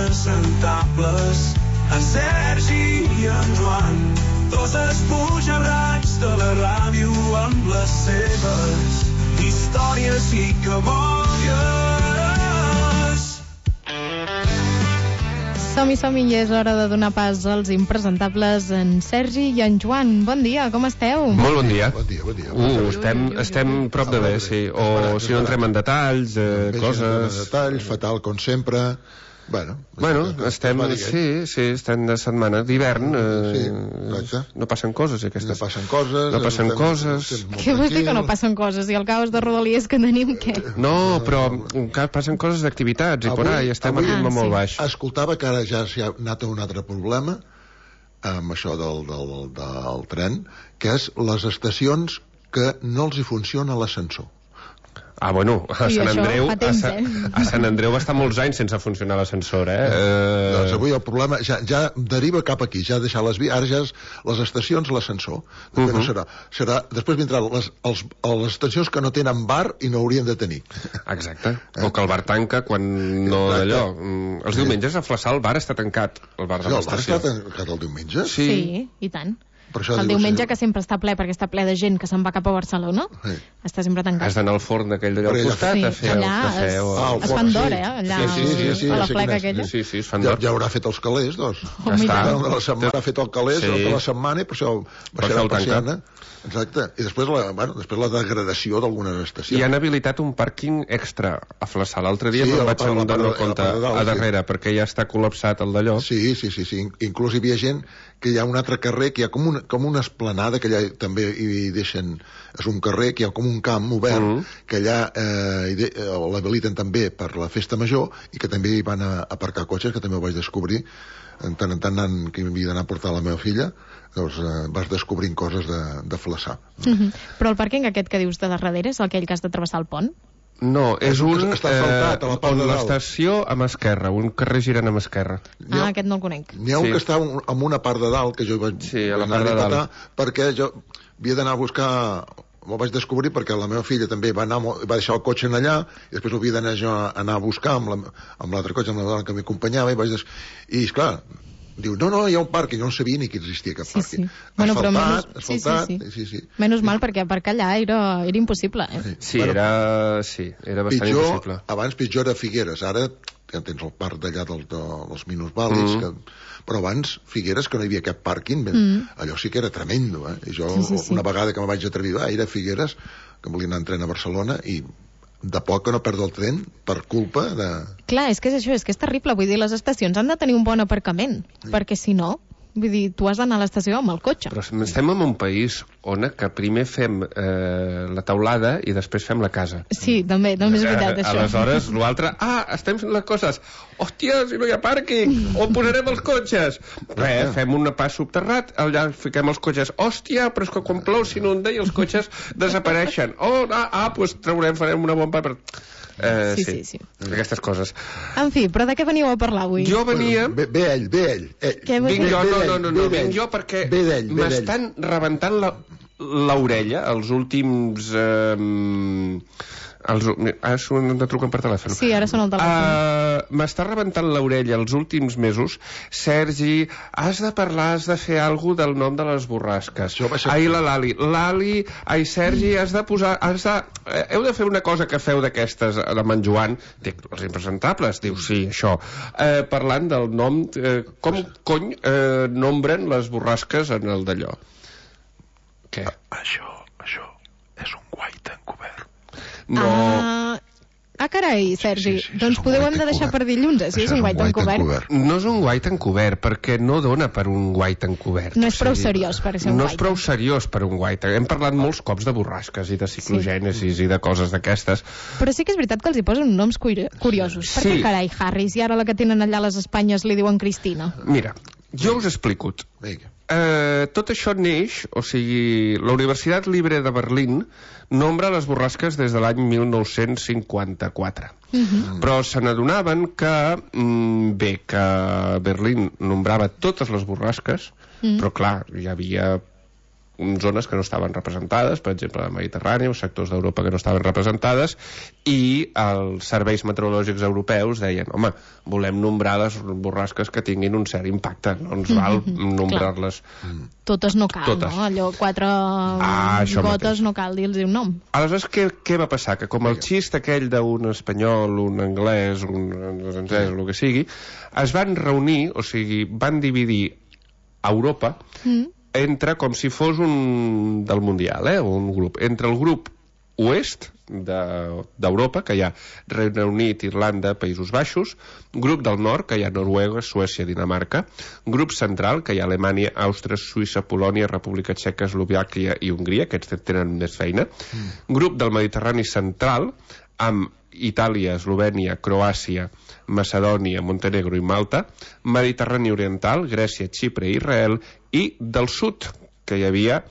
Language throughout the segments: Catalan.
impresentables, en Sergi i en Joan, dos espujarrats de la ràdio amb les seves històries i cabòries. Som-hi, és hora de donar pas als impresentables, en Sergi i en Joan. Bon dia, com esteu? Molt bon dia. Bon dia. Estem prop de bé, sí. O si no entrem en detalls, coses... En detalls, fatal com sempre... Bueno, estem de setmana d'hivern, no passen coses aquestes. No passen coses. Què vols dir que no passen coses? I el caos de rodalies que tenim, què? No, però passen coses d'activitats i por ahí, estem a ritme molt baix. Escoltava que ara ja s'ha anat a un altre problema amb això del tren, que és les estacions que no els hi funciona l'ascensor. A Sant Andreu va estar molts anys sense funcionar l'ascensor, Doncs avui el problema ja deriva cap aquí, ja deixar les vies, ara ja és les estacions, l'ascensor. No serà. Després vindran les estacions que no tenen bar i no haurien de tenir. Exacte. O que el bar tanca quan no d'allò. Els diumenges a Flaçà el bar està tancat, el bar de l'estació. El bar està tancat el diumenge? Sí, i tant. El diumenge, que sempre està ple perquè està ple de gent que se'n va cap a Barcelona, està sempre tancat. Has d'anar al forn d'aquell d'allà al costat a fer el cafè. Es fan d'hora, allà a la fleca aquella. Sí, es fan d'hora. Ja haurà fet els calés, doncs. La setmana ha fet el calés, la setmana, i per això baixarà el persiana. Exacte. I després la degradació d'algunes estacions. I han habilitat un pàrquing extra a Flaçà. L'altre dia me'n vaig donar compte a darrere, perquè ja està col·lapsat el d'allò. Sí. Inclús hi havia gent que hi ha un altre carrer, que hi ha com una esplanada, que allà també hi deixen... És un carrer, que hi ha com un camp obert, que allà l'habiliten també per la festa major, i que també hi van a aparcar cotxes, que també ho vaig descobrir. En tant que havia d'anar a portar la meva filla, doncs vas descobrint coses de Flaçà. Però el pàrquing aquest que dius de darrere és aquell que has de travessar el pont? No, és un que està asfaltat a la part de dalt. L'estació amb esquerra, un carrer girant amb esquerra. Aquest no el conec. N'hi ha un que està en una part de dalt, que jo vaig anar a patar, perquè jo havia d'anar a buscar... M'ho vaig descobrir perquè la meva filla també va deixar el cotxe allà, i després ho havia d'anar jo a anar a buscar amb l'altre cotxe, amb la dona que m'acompanyava, i esclar, diu, no, hi ha un pàrquing, jo no sabia ni que existia cap pàrquing. Asfaltat. Menys mal, perquè aparcar allà era impossible. Sí, era bastant impossible. Abans pitjor era Figueres, ara ja tens el parc d'allà dels minusvàlids, però abans Figueres, que no hi havia cap pàrquing, allò sí que era tremendo, i jo una vegada que me vaig atrevir a ir a Figueres, que volia anar en tren a Barcelona, i de poc que no perdo el tren per culpa de... Clar, és que és això, és que és terrible, vull dir, les estacions han de tenir un bon aparcament, perquè si no, vull dir, tu has d'anar a l'estació amb el cotxe. Però estem en un país on que primer fem la teulada i després fem la casa. Sí, també és veritat, això. Aleshores, l'altre, estem fent les coses. Hòstia, si no hi ha pàrquing, on posarem els cotxes? Fem un pas subterrat, allà fiquem els cotxes. Hòstia, però és que quan plou s'inunda i els cotxes desapareixen. Doncs farem una bomba per... Sí. Aquestes coses. En fi, però de què veníeu a parlar avui? Jo venia... Ve ell. Vinc jo perquè m'estan rebentant l'orella els últims... Ara de truquen per telèfon. Sí, ara són el telèfon. M'està rebentant l'orella els últims mesos. Sergi, has de fer alguna del nom de les borrasques. La Lali. Sergi, has de posar... Heu de fer una cosa que feu d'aquestes amb en Joan. Dic, els impresentables. Diu, sí, això. Parlant del nom... Com cony nombren les borrasques en el d'allò? Què? Això és un guaita encobert. No. Carai, Sergi, doncs hem de deixar per dilluns, si és un guait encobert. No és un guait encobert, perquè no dona per un guait encobert. No és prou seriós per ser un guait. No és prou seriós per un guait. Hem parlat molts cops de borrasques i de ciclogènesis i de coses d'aquestes. Però sí que és veritat que els hi posen noms curiosos. Per què, carai, Harris, i ara la que tenen allà a les Espanyes li diuen Cristina? Mira, jo us explico. Tot això neix, o sigui, la Universitat Libre de Berlín nombra les borrasques des de l'any 1954. Però se n'adonaven que, que Berlín nombrava totes les borrasques, però clar, hi havia zones que no estaven representades, per exemple, la Mediterrània o sectors d'Europa que no estaven representades, i els serveis meteorològics europeus deien, home, volem nombrar les borrasques que tinguin un cert impacte, no ens val nombrar-les. Totes no cal, Totes. no? Allò, 4 això gotes mateix. no cal dir-los un nom. Aleshores, què va passar? Que com el xist aquell d'un espanyol, un anglès, un francès, el que sigui, es van reunir, o sigui, van dividir Europa entre, com si fos un del Mundial, un grup, entre el grup oest d'Europa, que hi ha Regne Unit, Irlanda, Països Baixos, grup del nord, que hi ha Noruega, Suècia, Dinamarca, grup central, que hi ha Alemanya, Àustria, Suïssa, Polònia, República Txeca, Eslovàquia i Hongria, aquests tenen més feina, grup del Mediterrani central, amb Itàlia, Eslovènia, Croàcia, Macedònia, Montenegro i Malta, Mediterrani oriental, Grècia, Xipre i Israel, i del sud, que hi havia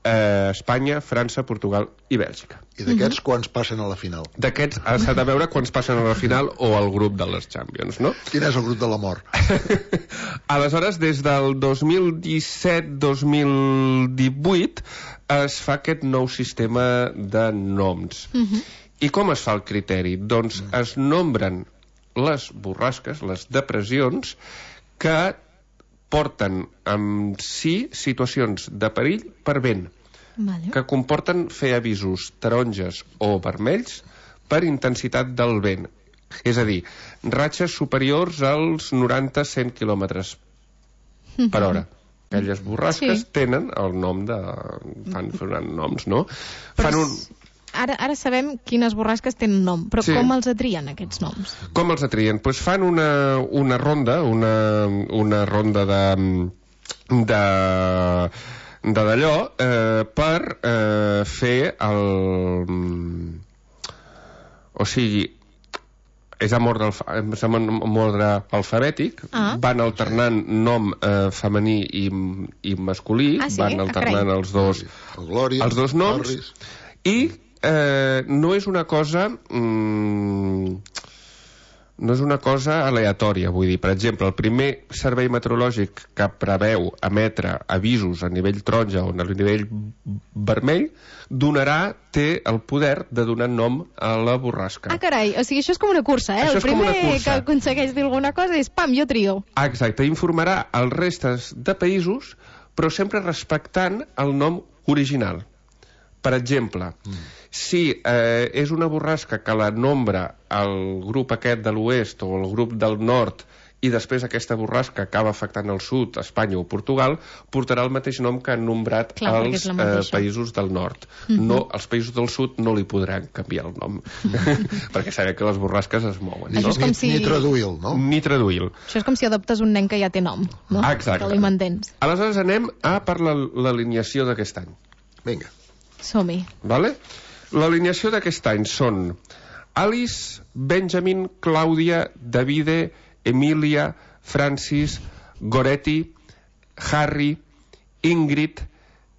Espanya, França, Portugal i Bèlgica. I d'aquests quants passen a la final? D'aquests s'ha de veure quants passen a la final o al grup de les Champions, no? Quin és el grup de la mort? Aleshores, des del 2017-2018 es fa aquest nou sistema de noms. I com es fa el criteri? Doncs es nombren les borrasques, les depressions, que porten amb si situacions de perill per vent, que comporten fer avisos taronges o vermells per intensitat del vent. És a dir, ratxes superiors als 90-100 quilòmetres per hora. Aquelles borrasques tenen el nom de... fan noms, no? Fan un... Ara sabem quines borrasques tenen nom, però com els atrien, aquests noms? Com els atrien? Doncs fan una ronda, una ronda d'allò per fer el... O sigui, és amb ordre alfabètic, van alternant nom femení i masculí, van alternant els dos noms, i no és una cosa aleatòria, vull dir, per exemple, el primer servei meteorològic que preveu emetre avisos a nivell taronja o a nivell vermell té el poder de donar nom a la borrasca. Ah, carai, o sigui, això és com una cursa, Això el és com una primer cursa. que aconsegueix dir alguna cosa és pam, jo trio. Exacte, informarà els restes de països, però sempre respectant el nom original. Per exemple, si és una borrasca que la nombra el grup aquest de l'oest o el grup del nord i després aquesta borrasca acaba afectant el sud, Espanya o Portugal, portarà el mateix nom que han nombrat els països del nord. No, els països del sud no li podran canviar el nom, perquè sabem que les borrasques es mouen. Això és com si... Ni traduir-lo, no? Ni traduir-lo. Això és com si adoptes un nen que ja té nom, no? Exacte. Que li mantens. Aleshores anem per l'alineació d'aquest any. Vinga. Som-hi. Vale? L'alineació d'aquest any són Alice, Benjamin, Clàudia, Davide, Emilia, Francis, Goretti, Harry, Ingrid,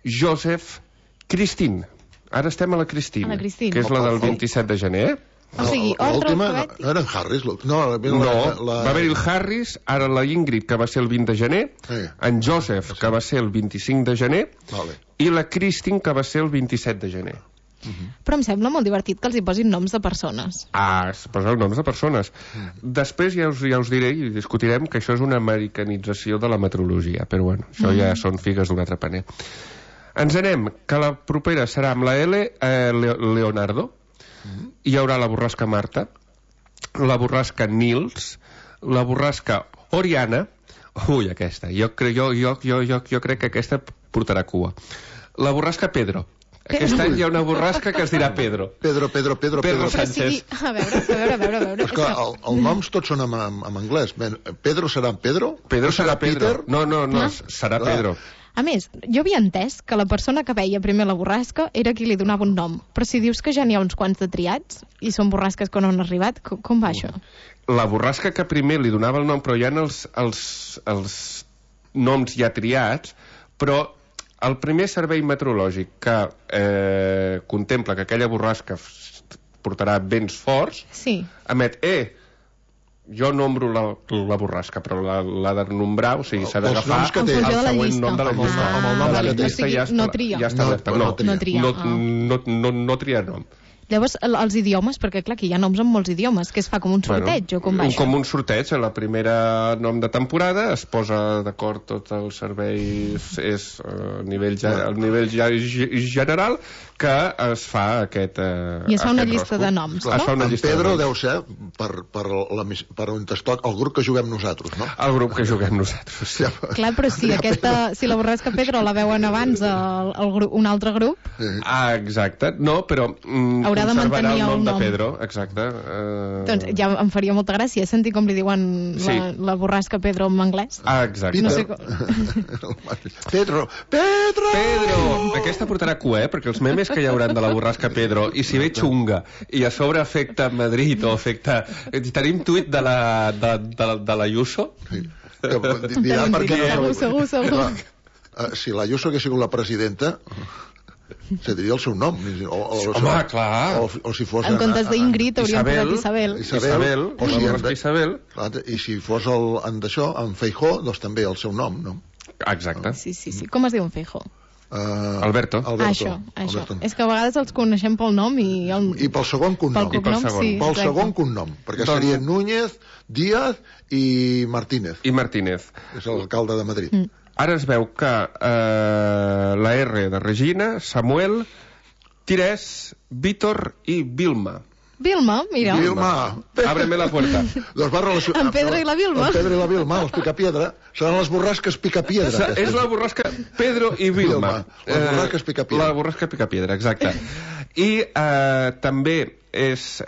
Joseph, Christine. Ara estem a la Christine, que és la del 27 de gener. O sigui, ordre alfabètic. No eren Harris? No, va haver-hi el Harris, ara la Ingrid, que va ser el 20 de gener, en Joseph, que va ser el 25 de gener, i la Christine, que va ser el 27 de gener. Però em sembla molt divertit que els hi posin noms de persones. Es posen noms de persones. Després ja us diré i discutirem que això és una americanització de la meteorologia, però bueno, això ja són figues d'un altre paner. Ens anem, que la propera serà amb la L, Leonardo. Hi haurà la borrasca Marta, la borrasca Nils, la borrasca Oriana. Ui, aquesta. Jo crec que aquesta portarà cua. La borrasca Pedro. Aquest any hi ha una borrasca que es dirà Pedro. Pedro Sánchez. A veure. És que els noms tots són en anglès. Pedro serà Pedro? Pedro serà Pedro. Peter? No, serà Pedro. A més, jo havia entès que la persona que veia primer la borrasca era qui li donava un nom. Però si dius que ja n'hi ha uns quants de triats i són borrasques que no han arribat, com va això? La borrasca que primer li donava el nom, però hi ha els noms ja triats, però el primer servei meteorològic que contempla que aquella borrasca portarà vents forts, emet, jo nombro la borrasca, però l'ha de nombrar, o sigui, s'ha d'agafar noms que té. el següent nom de la llista. Amb el nom De la que té. llista O sigui, ja no tria. ja està oberta. No tria. No tria nom. Llavors, els idiomes, perquè clar, aquí hi ha noms amb molts idiomes, que es fa com un sorteig, o com va això? Com un sorteig, a la primera nom de temporada es posa d'acord tots els serveis, és a nivell general, que es fa aquest I es fa una aquest llista rosco. de noms, Es fa no? una En llista de Pedro noms. deu ser per on es toca el grup que juguem nosaltres, no? El grup que juguem nosaltres, sí. Clar, però si la borrasca Pedro la veuen abans un altre grup, Ah, exacte. No, però Haurà de conservarà mantenir el nom el de nom. Pedro, exacte. doncs ja em faria molta gràcia sentir com li diuen Sí. la borrasca Pedro en anglès. Ah, exacte. No sé Pedro! Pedro! Aquesta portarà cua, perquè els memes que hi hauran de la borrasca Pedro, i si ve xunga, i a sobre afecta Madrid, o afecta... Tenim tuit de la Ayuso? Dirà per què no... Segur. Si l'Ayuso hagués sigut la presidenta, se diria el seu nom. Home, clar. O si fos... En comptes d'Ingrid hauríem posat Isabel. Isabel, o si la borrasca Isabel. I si fos en Feijó, doncs també el seu nom, no? Exacte. Sí. Com es diu en Feijó? Alberto. Això. Alberto. És que a vegades els coneixem pel nom i pel segon cognom. pel cognom, sí. Pel exacte. segon cognom, perquè seria Núñez, Díaz i Martínez, I Martínez. que és l'alcalde de Madrid. Ara es veu que la R de Regina, Samuel, Tirés, Víctor i Vilma. Vilma, mira. Vilma. Ábreme la puerta. Doncs va relacionar... En Pedro i la Vilma. En Pedro i la Vilma, els Picapiedra. Seran les borrasques Picapiedra. És la borrasca Pedro i Vilma. Les borrasques Picapiedra. La borrasca Picapiedra, exacte. I també és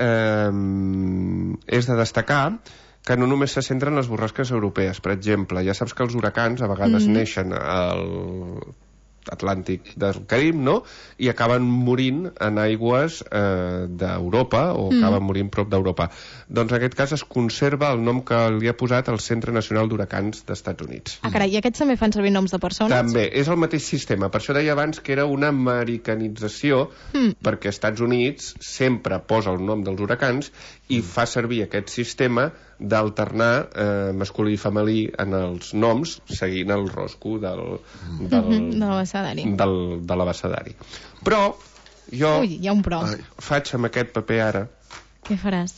de destacar que no només se centren en les borrasques europees. Per exemple, ja saps que els huracans a vegades neixen al Atlàntic del Carib, no? I acaben morint en aigües d'Europa, o acaben morint prop d'Europa. Doncs en aquest cas es conserva el nom que li ha posat el Centre Nacional d'Huracans d'Estats Units. Ah, carai, i aquests també fan servir noms de persones? També, és el mateix sistema. Per això deia abans que era una americanització, perquè Estats Units sempre posa el nom dels huracans i fa servir aquest sistema d'alternar masculí i femení en els noms, seguint el rosco de l'abecedari. Però jo Ui, hi ha un però. faig amb aquest paper ara. Què faràs?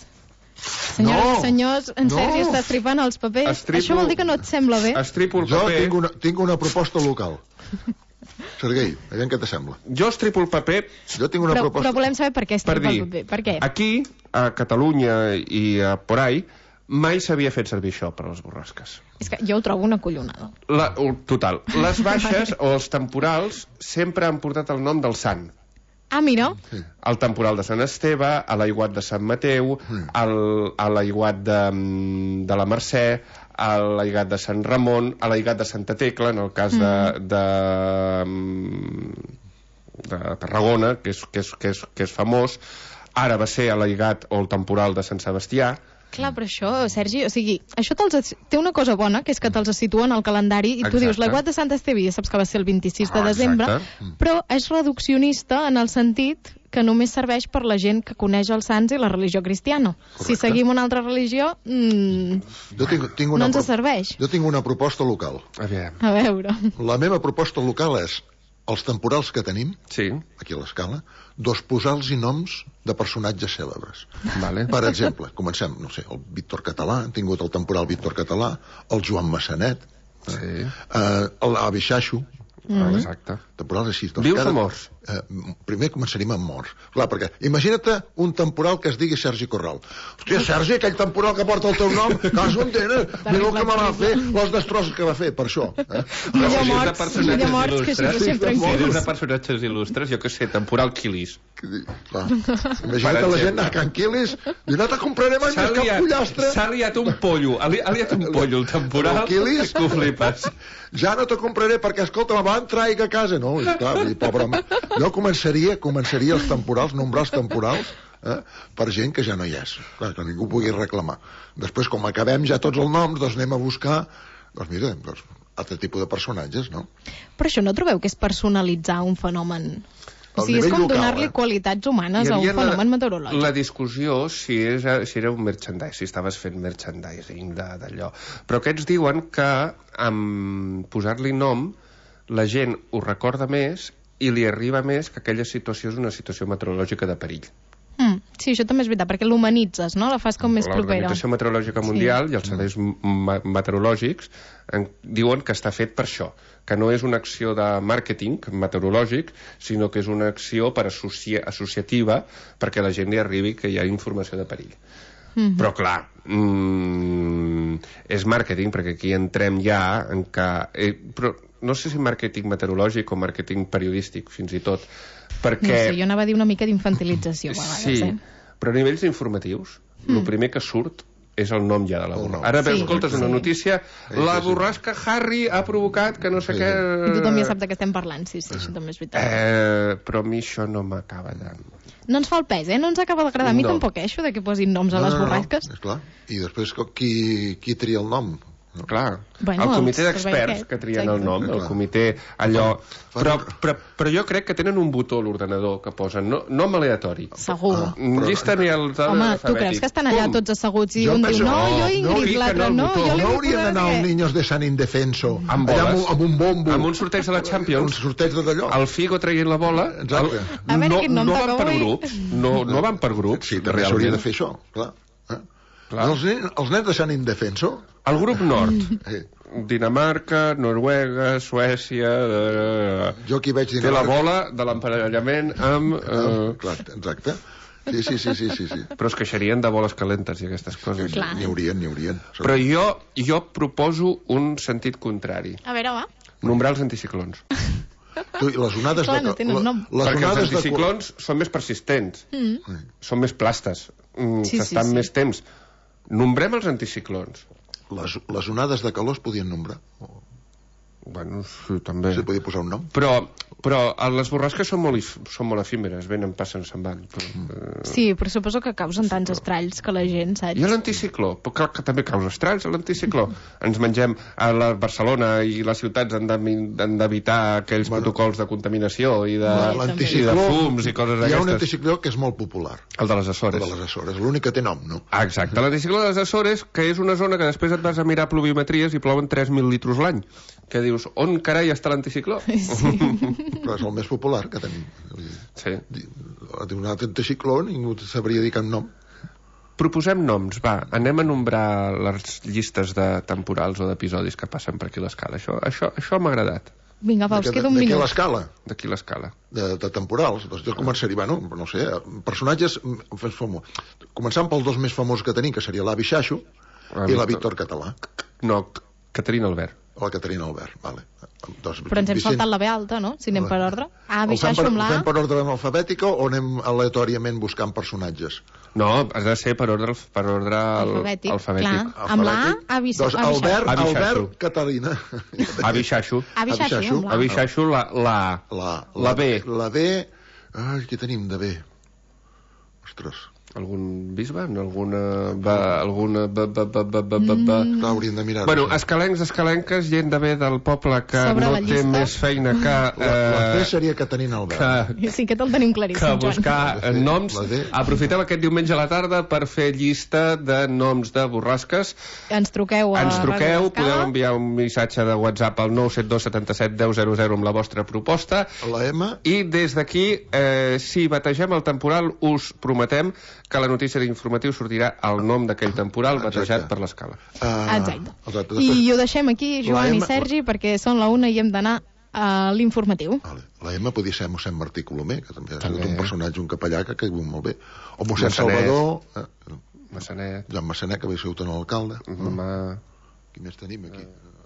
No! Senyors, en No! Sergi està estripant els papers. Estripo- Això vol dir que no et sembla bé? Estripo el Jo paper. tinc una proposta local. Sergei, aviam què t'assembla. Jo estripo el paper Jo tinc una proposta... Però volem saber per què per estripa dir, el paper. Per què? aquí, a Catalunya i a por ahí, mai s'havia fet servir això per a les borrasques. És que jo ho trobo una collonada. Total. Les baixes o els temporals sempre han portat el nom del sant. Ah, mira. El temporal de Sant Esteve, a l'aiguat de Sant Mateu, a l'aiguat de la Mercè, a l'aiguat de Sant Ramon, a l'aiguat de Santa Tecla, en el cas de Tarragona, que és famós. Ara va ser a l'aiguat o el temporal de Sant Sebastià. Clar, però això, Sergi, o sigui, això té una cosa bona, que és que te'ls situen al calendari i tu Exacte. dius, l'aiguat de Sant Esteve ja saps que va ser el 26 de Ah, desembre, exacte. però és reduccionista en el sentit que només serveix per la gent que coneix els sants i la religió cristiana. Si seguim una altra religió, Jo tinc no una ens serveix. Jo tinc una proposta local. Aviam. A veure. La meva proposta local és els temporals que tenim, Sí. aquí a l'escala, posar-los noms de personatges cèlebres. Vale. Per exemple, comencem, no sé, el Víctor Català, hem tingut el temporal Víctor Català, el Joan Massanet, Sí. l'avi Xaixo, Exacte. temporals així. Vius o morts? Primer començaríem amb morts. Clar, perquè imagina't un temporal que es digui Sergi Corral. Hòstia, Sergi, aquell temporal que porta el teu nom, caso en tenen, mira el que me va fer, les destrosses que va fer, per això. Millor Si és de morts, personatges millor morts, que així il·lustres, deixem si és tranquils. de personatges il·lustres, jo què sé, temporal Quilis. Clar. Imagina't la gent a Can Quilis, i no te compraré mai més cap pollastre. S'ha liat un pollo, ha liat un pollo el temporal, Quilis? que ho flipes. Ja no te compraré perquè, escolta, me van trair a casa. No, clar, pobre home. Jo començaria els temporals, nombrar els temporals, per gent que ja no hi és. Clar, que ningú pugui reclamar. Després, com acabem ja tots els noms, doncs anem a buscar, doncs mira, altre tipus de personatges, no? Però això no trobeu que és personalitzar un fenomen? O sigui, és com donar-li qualitats humanes a un fenomen meteorològic. La discussió si era un merchandising, si estaves fent merchandising d'allò. Però aquests diuen que amb posar-li nom la gent ho recorda més i li arriba més que aquella situació és una situació meteorològica de perill. Sí, això també és veritat, perquè l'humanitzes, no? La fas com més propera. L'Organització Meteorològica Mundial i els serveis meteorològics diuen que està fet per això, que no és una acció de màrqueting meteorològic, sinó que és una acció per associativa perquè la gent li arribi que hi ha informació de perill. Però clar, és màrqueting, perquè aquí entrem ja en que... però no sé si màrqueting meteorològic o màrqueting periodístic, fins i tot, perquè... No sé, jo anava a dir una mica d'infantilització, a vegades, però a nivells informatius, el primer que surt és el nom ja de la borrasca. Ara escoltes una notícia, la borrasca Harry ha provocat que no sé què... I tothom ja sap de què estem parlant, sí, això també és veritat. Però a mi això no m'acaba de... No ens fa el pes, no ens acaba d'agradar. A mi tampoc, això de que posin noms a les borrasques. Esclar. I després qui tria el nom? No. Clar, el comitè d'experts que trien el nom, el comitè allò... Però jo crec que tenen un botó a l'ordenador que posen nom aleatori. Segur. Llista ni el home, tu creus que estan allà tots asseguts i un diu, no, jo Ingrid, l'altre no, jo no haurien d'anar els niños de San Indefenso amb un bombo, amb un sorteig de la Champions, un sorteig d'allò, el Figo traient la bola. No van per grups, no van per grups. Sí, també s'hauria de fer això, clar. Els nens de Sant Indefenso, el grup nord, Dinamarca, Noruega, Suècia... Jo aquí veig té la bola de l'emparellament amb... Exacte. Sí. Però es queixarien de boles calentes i aquestes coses. N'hi haurien. Però jo proposo un sentit contrari. A veure, va. Nombrar els anticiclons. Les onades no tenen nom. Perquè els anticiclons són més persistents, són més plastes, s'estan més temps. Nombrem els anticiclons. Les onades de calor es podien nombrar. Bueno, sí, també. Se podia posar un nom. Però les borrasques són molt efímeres, venen, passen, se'n van. Sí, però suposo que causen tants estralls que la gent, saps? I l'anticicló? Que també causa estralls, l'anticicló. Ens mengem a la Barcelona i les ciutats han d'evitar aquells protocols de contaminació i de fums i coses d'aquestes. Hi ha un anticicló que és molt popular. El de les Açores. El de les Açores, l'únic que té nom, no? Exacte, l'anticicló de les Açores, que és una zona que després et vas a mirar pluviometries i plouen 3.000 litres l'any. Que dius, on carai està l'anticicló? Sí. Però és el més popular que tenim. Sí. Un altre anticicló, ningú sabria dir cap nom. Proposem noms, va. Anem a nombrar les llistes de temporals o d'episodis que passen per aquí a l'escala. Això m'ha agradat. Vinga, va, us queda un minut. D'aquí l'escala? D'aquí l'escala. De temporals. Doncs jo començaria, bueno, no sé, personatges... Començant pels dos més famosos que tenim, que seria l'Avi Xaxo i la Víctor Català. No, Caterina Albert. La Caterina Albert, vale. Però ens hem saltat la B alta, no? Si anem per ordre. Avi Xaxo amb la A. Fem per ordre alfabètica o anem aleatòriament buscant personatges? No, has de ser per ordre alfabètic. Clar, amb la A, Avi Xaxo. Albert Catalina. Avi Xaxo. Avi Xaxo, la A. La B. La B... Ai, què tenim de B? Ostres... Algun bisbe? Alguna... Hauríem de mirar. Bueno, escalenques, gent de bé del poble que no té més feina que... La B seria Caterina Albert. Sí, que te'l tenim claríssim, Joan. Que buscar noms. Aprofitem aquest diumenge a la tarda per fer llista de noms de borrasques. Ens truqueu, podeu enviar un missatge de WhatsApp al 972 77 10 00 amb la vostra proposta. La M. I des d'aquí, si bategem el temporal, us prometem que la notícia d'informatiu sortirà el nom d'aquell temporal batejat per l'escala. Exacte. I ho deixem aquí, Joan i Sergi, perquè són la 1 i hem d'anar a l'informatiu. La M podria ser mossèn Martí Colomer, que també ha sigut un personatge, un capellà que ha caigut molt bé. O mossèn Salvador... Massanet. Joan Massanet, que havia sigut un alcalde. Qui més tenim aquí?